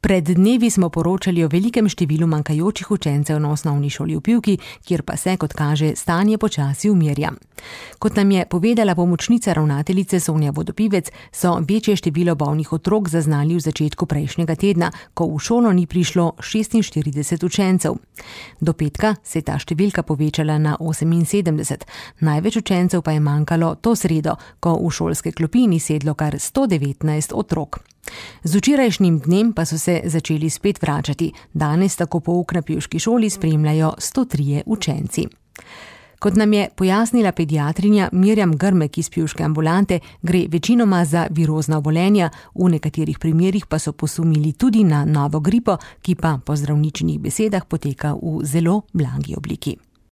Pred dnevi smo poročali o velikem številu manjkajočih učencev na osnovni šoli v Pivki, kjer pa se, kot kaže, stanje počasi umirja. Kot nam je povedala pomočnica ravnateljice Sonja Vodopivec, so večje število bolnih otrok zaznali v začetku prejšnjega tedna, ko v šolo ni prišlo 46 učencev. Do petka se je ta številka povečala na 78, največ učencev pa je manjkalo to sredo, ko v šolske klopi ni sedlo kar 119 otrok. Z včerajšnjim dnem pa so se začeli spet vračati. Danes tako pouk na pivški šoli spremljajo 103 učenci. Kot nam je pojasnila pediatrinja Mirjam Grmek iz pivške ambulante, gre večinoma za virozna obolenja, v nekaterih primerih pa so posumili tudi na novo gripo, ki pa po zdravničinih besedah poteka v zelo blagi obliki.